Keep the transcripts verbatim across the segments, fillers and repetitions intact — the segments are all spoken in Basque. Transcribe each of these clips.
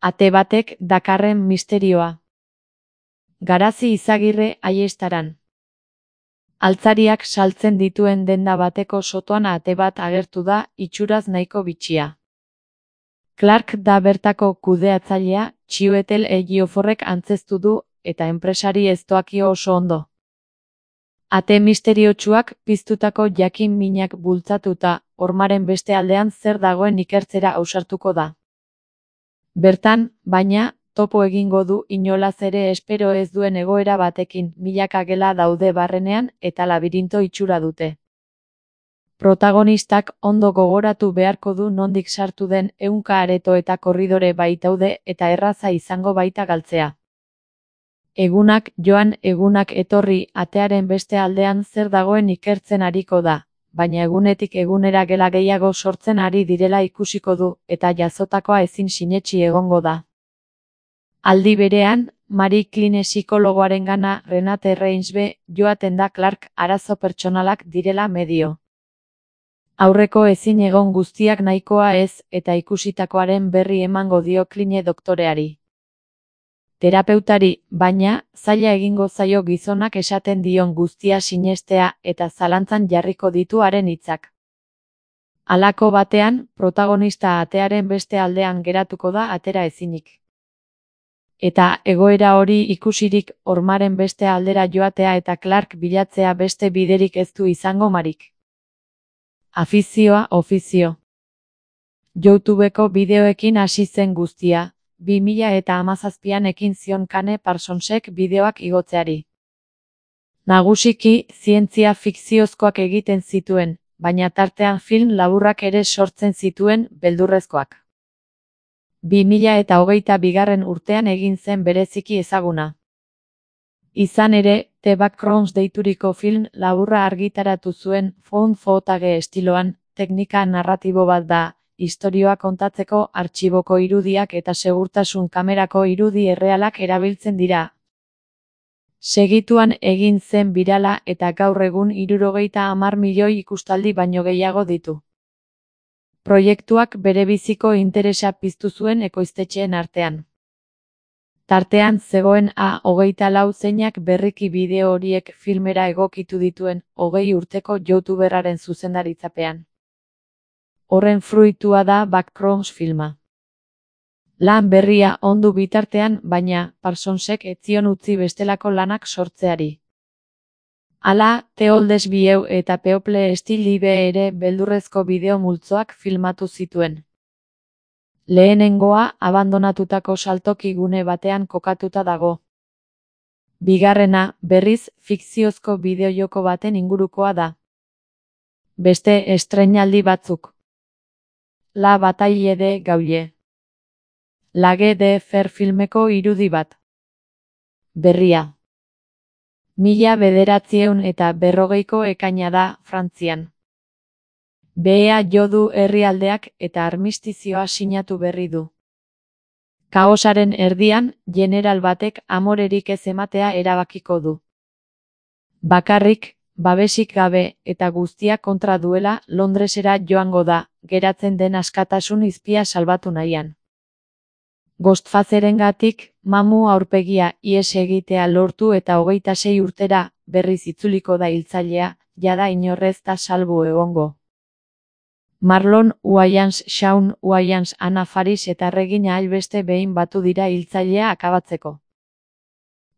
Ate batek dakarren misterioa. Garazi Izagirre Aiestaran. Altzariak saltzen dituen denda bateko sotoan ate bat agertu da, itxuraz nahiko bitxia. Clark da bertako kudeatzailea, Chiwetel Ejioforrek antzeztu du, eta enpresari ez doakio oso ondo. Ate misteriotsuak piztutako jakin minak bultzatuta, hormaren beste aldean zer dagoen ikertzera ausartuko da. Bertan, baina, topo egingo du inolaz ere espero ez duen egoera batekin, milaka gela daude barrenean eta labirinto itxura dute. Protagonistak ondo gogoratu beharko du nondik sartu den ehunka areto eta korridore baitaude eta erraza izango baita galtzea. Egunak joan egunak etorri atearen beste aldean zer dagoen ikertzen ariko da, baina egunetik egunera gela gehiago sortzen ari direla ikusiko du eta jazotakoa ezin sinetsi egongo da. Aldi berean, Marie Kline psikologoarengana Renate Reinsbe joaten da Clark arazo pertsonalak direla medio. Aurreko ezin egon guztiak nahikoa ez eta ikusitakoaren berri emango dio Kline doktoreari. Terapeutari, baina, zaila egingo zaio gizonak esaten dion guztia sinestea eta zalantzan jarriko ditu haren hitzak. Halako batean, protagonista atearen beste aldean geratuko da atera ezinik. Eta egoera hori ikusirik hormaren beste aldera joatea eta Clark bilatzea beste biderik ez du izango Marik. Afizioa ofizio. YouTubeko bideoekin hasi zen guztia, bi mila eta hamazazpian ekin zion Kane Parsonsek bideoak igotzeari. Nagusiki, zientzia fikziozkoak egiten zituen, baina tartean film laburrak ere sortzen zituen, beldurrezkoak. bi mila eta hogeita bigarren urtean egin zen bereziki ezaguna. Izan ere, The Backrooms deituriko film laburra argitaratu zuen found footage estiloan, teknika narratibo bat da, istorioa kontatzeko artxiboko irudiak eta segurtasun kamerako irudi errealak erabiltzen dira. Segituan egin zen birala eta gaur egun hirurogeita hamar milioi ikustaldi baino gehiago ditu. Proiektuak berebiziko interesa piztu zuen ekoiztetxeen artean. Tartean zegoen A hogeita lau zeinak berriki bideo horiek filmera egokitu dituen hogei urteko youtuberraren zuzendaritzapean. Horren fruitua da Backrooms filma. Lan berria ondu bitartean, baina, Parsonsek ez zion utzi bestelako lanak sortzeari. Hala, The Oldest View eta People Still Live ere beldurrezko bideo multzoak filmatu zituen. Lehenengoa abandonatutako saltoki gune batean kokatuta dago. Bigarrena, berriz, fikziozko bideojoko baten ingurukoa da. Beste estreinaldi batzuk. La Bataille de Gaulle. Lage de Fer filmeko irudi bat. Berria. Mila bederatziehun eta berrogeiko ekaina da, Frantzian. Behea jo du herrialdeak eta armistizioa sinatu berri du. Kaosaren erdian, jeneral batek amorerik ez ematea erabakiko du. Bakarrik, babesik gabe eta guztia kontra duela Londresera joango da, geratzen den askatasun izpia salbatu nahian. Ghostfacerengatik, mamu aurpegia ihes egitea lortu eta hogeita sei urtera berriz itzuliko da hiltzailea, jada inorrez da salbu egongo. Marlon Wayans, Shaun Wayans, Anna Faris eta Regina hainbeste behin batu dira hiltzailea akabatzeko.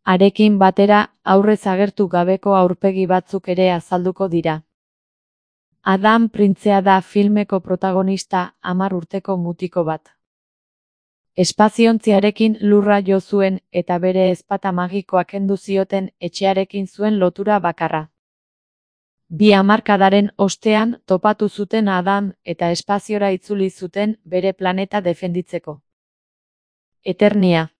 Harekin batera, aurrez agertu gabeko aurpegi batzuk ere azalduko dira. Adam printzea da filmeko protagonista, hamar urteko mutiko bat. Espaziontziarekin lurra jo zuen eta bere ezpata magikoa kendu zioten etxearekin zuen lotura bakarra. Bi hamarkadaren ostean topatu zuten Adam eta espaziora itzuli zuten bere planeta defenditzeko. Eternia.